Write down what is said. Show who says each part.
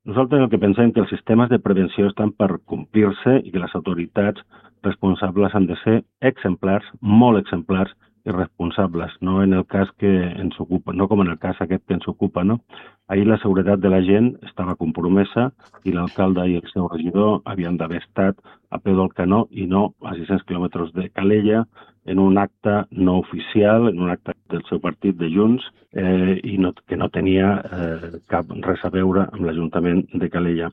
Speaker 1: Nosaltres el que pensem que els sistemes de prevenció estan per complir-se i que les autoritats responsables han de ser exemplars, molt exemplars i responsables, no en el cas que ens ocupa, no com en el cas aquest que ens ocupa, no? Ahir la seguretat de la gent estava compromesa i l'alcalde i el seu regidor havien d'haver estat a peu del canó i no a 600 quilòmetres de Calella en un acte no oficial, en un acte del seu partit de Junts, i no, que no tenia res a veure amb l'Ajuntament de Calella.